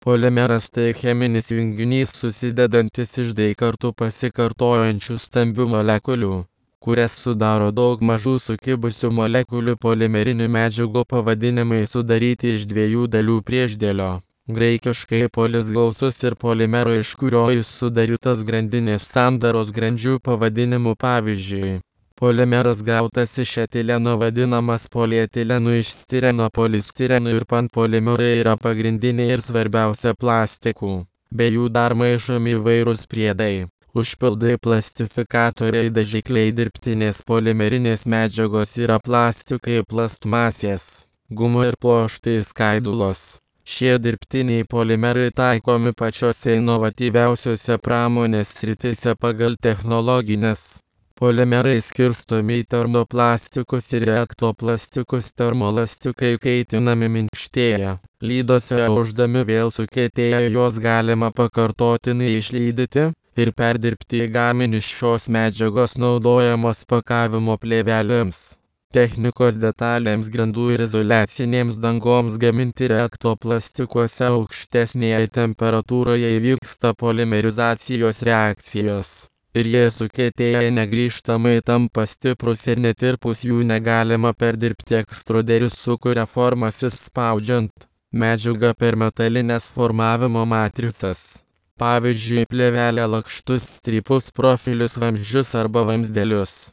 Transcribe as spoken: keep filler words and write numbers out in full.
Polimeras tai cheminis junginys susidedantis iš d kartų pasikartojančių stambių molekulių, kurias sudaro daug mažų sukibusių molekulių. Polimerinių medžiagų pavadinimai sudaryti iš dviejų dalių priešdėlio. Graikiškai polis gausus ir polimero, iš kurio jis sudarytas grandinės sandaros grandžių pavadinimų. Pavyzdžiui, polimeras gautas iš etileno vadinamas polietilenu, iš stireno polistirenu, ir panpolimerai yra pagrindiniai ir svarbiausia plastikų. Be jų dar maišomi įvairūs priedai, užpildai, plastifikatoriai, dažikliai. Dirbtinės polimerinės medžiagos yra plastikai, plastmasės, gumų ir pluoštai, skaidulos. Šie dirbtiniai polimerai taikomi pačiose inovatyviausiose pramonės srityse pagal technologines. Polimerai skirstomi į termoplastikus ir ektoplastikus. Termolastikai kaitinami, minkštėja, lydose aušdami vėl sukietėja, juos galima pakartotinai išlydyti ir perdirbti į gaminius. Šios medžiagos naudojamos pakavimo plėvelėms, technikos detalėms, grindų ir izoliacinėms dangoms gaminti. Ektoplastikuose aukštesnėje temperatūroje įvyksta polimerizacijos reakcijos ir jie sukietėję negrįžtamai tampa stiprus ir netirpus, jų negalima perdirbti. Ekstruderis sukuria formas įspaudžiant medžiagą per metalines formavimo matricas, pavyzdžiui plėvelę, lakštus, strypus, profilius, vamzdžius arba vamzdelius.